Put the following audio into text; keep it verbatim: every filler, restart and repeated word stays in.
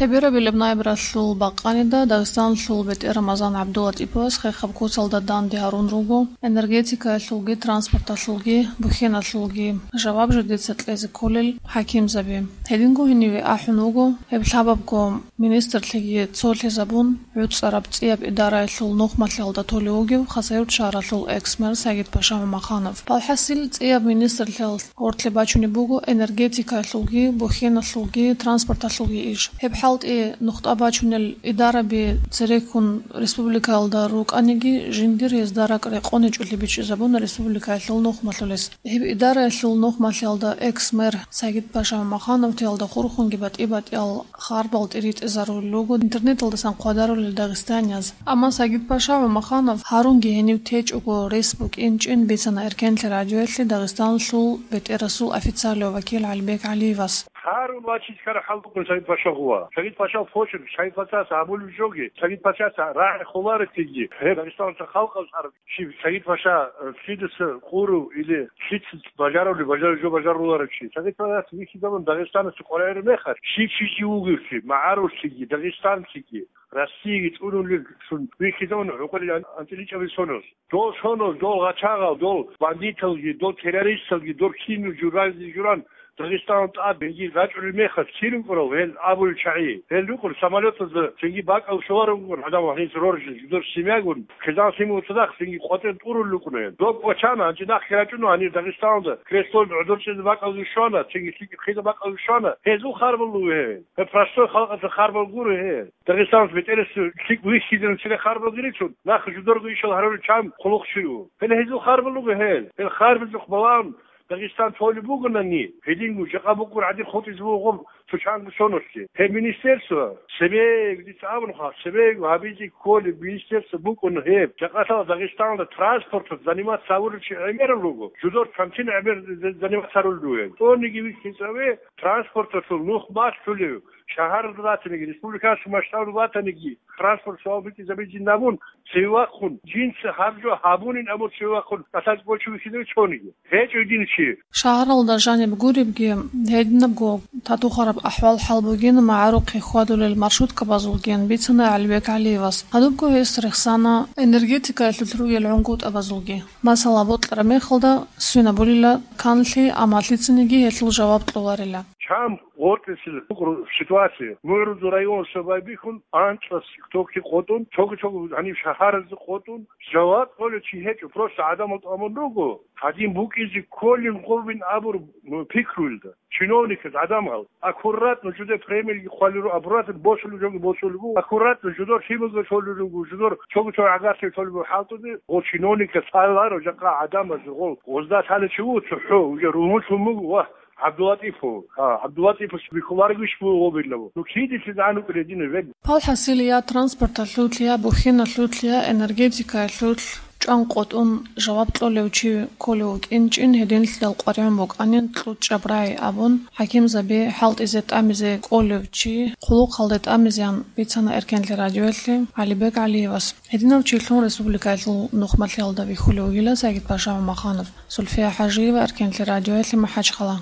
Гьеб берабилеб набералъул бакъанида Дагъистаналъул бетӀер Рамазан ГӀабдулатӀиповас хехаб куцалда данде гьарун руго энергетикаялъулги, транспорталъулги, бухьеналъулги жаваб жидеца кьезе кколел хӀакимзаби. Гьединго гьениве ахӀун вуго гьеб лъабабго министрлъиги цолъизабун, гӀуцӀараб цӀияб идараялъул нухмалъиялда толев вугев Хасавюрт шагьаралъул экс-мэр Сагид-Паша Мамаханов. Палхасил цӀияб министрлъиялъ гъорлъе бачунеб буго энергетикаялъулги, бухьеналъулги, транспорталъулги иш. Гьеб хӀалтӀи нухда бачунел идараби цереккун республикаялда рукӀаниги, жиндир гьезда ракӀ рекъон гьечӀолъи бичӀчӀизабуна республикаялъул нухмалъулес. Гьеб идараялъул нухмалъиялда экс-мэр Сагид-Паша Мамахановтиялда хурхунги батӀи-батӀиял харбал тӀиритӀизарулел руго интернеталдасан хъвадарулел дагъистанияз. Амма Сагид-Паша Мамаханов гьарунги гьенив течӀого рес букӀинчӀин бицана Эркенлъи радиоялъе Дагъистаналъул бетӀерасул официалияв вакил ГӀалибек ГӀалиевас. Гьарун вачиз ккараб хӀал букӀун Сагид-Паша гъува. Сагид-Пашал почерк, Сагид-Пашаца гьабулеб жоги, Сагид-Пашаца рагӀи холареб теги, гьеб Дагъистаналъул халкъалъ гьарун. Щиб Сагид-Паша, э, лъидаса къурав или лъица бажарулеб, бажарулеб жо бажаруларев чи. Сагид-Пашаца вихьизабун Дагъистаналъе къваригӀараб мехалъ, щив чи жив вугевлъи, магӀаруллъиги, дагъистанлъиги, Россиягицун вугевлъун вихьизабун гӀукъулел ан-, анцӀила чӀаби соноз. Дол соноз, дол гъачагъал, дол бандиталги, дол террористалги, дол кинул журалги журан Дагъистаналда тӀад гьенги рачӀунел мехалъ, кин рукӀурал гьел абулел чагӀи? Гьел рукӀун самолетазда цинги бакӀал щоларун рукӀун гӀадамал гьез роржи, жидер семьягун, хъизан-лъимал цадахъ цинги къватӀир тӀурулел рукӀун гьел. Доб вачана, гьанже нахъе рачӀуна гьанир Дагъистаналда, креслоялда гӀодор чӀезе бакӀалги щвана, цинги лъикӀ хъиза бакӀалги щвана. Гьезул харбал руго гьел. Гьеб простой халкъалъул харбал гуро гьел. Дагъистаналъ бетӀерасев лъикӀ вихьизарун цере харбал гиричун, нахъ жудорго ишал гьарурел чан хъулухъчи ву. Гьел гьезул харбал руго гьел. Гьел харбалъухъ балагьун Дагъистан толеб бугони, гьединго жакъа букӀун гӀадин хутӀизе буго гъоб цо чанго соналъе. Гьеб министерство, цебе, дица абун хъа, цебе гьабизе кколеб министерство букӀун гьеб. Жакъа лъала Дагъистаналда транспорталъ заниматься гьавурав чи гӀемерав руго, жудор камчин гӀемер заниматься гьарулел ругел. ТӀониги вихьизаве транспорталъул нух бахъулев, шагьаралда батаниги, республикалъул масштабалда батаниги, транспорт суал битӀизабизин абун, цеве вахъун, жинца гьаб жо гьабунин абун цеве вахъун, кӀалъазе кӀочо вихьизаве цониги. ГьечӀо дин чи. Шагьаралда жаниб гуребги, гьединабго татухараб ахӀвал-хӀал бугин магӀарухъе хьвадулел маршруткабазулгин бицана ГӀалибек ГӀалиевас. Гьадубго гьес рехсана энергетикаялъулъ ругел гӀунгутӀабазулги. Масала, бокьараб мехалда свинабулила канлъи, амма лъицаниги гьелъул жаваб кьоларила. Чан гъоркьесел букӀараб ситуация. МугӀрузул районасда байбихьун, анцӀас токи къотӀун, цого-цого гьаниб шагьаразда къотӀун, жаваб кьолев чи гьечӀо, просто гӀадамал тӀамун руго, гьадин букӀизе кколин гъобин абур пикруялда. Чиновниказ гӀадамал аккуратно жуде премиялги хъвалел руго, аккуратно босулеб жоги босулеб буго, аккуратно жудор лъималги толел руго, жудор цого-цого гӀагарлъи толеб буго хӀалтӀуде, гъо чиновниказ лъаларо жакъа гӀадамаз гъо гъозда лъалев чи вуго цохӀо, уже ругьунлъун буго, вагь, ГӀабдулатӀипов, гьа, ГӀабдулатӀиповас бихьуларевищ буго гъобилабу? Ну, кидилъи загӀан вукӀине дина вегу. Палхасил я транспорталъулъ, я бухьиналъулъ, я энергетикаялъулъ чӀван къотӀун жаваб кьолев чи кколев вукӀинчӀин, гьединлъидал къваригӀун букӀанин кьучӀаб рагӀи абун, хӀакимзаби хӀалтӀизе тӀамизе кӀолев чи хъулухъалде тӀамизеян бицана Эркенлъи радиоялъе ГӀалибек ГӀалиевас. Гьединав чилъун республикаялъул нухмалъиялда вихьулев вугила Сагид-Паша Мамаханов. Зульфия ХӀажиева, Эркенлъи радиоялъе, МахӀачхъала.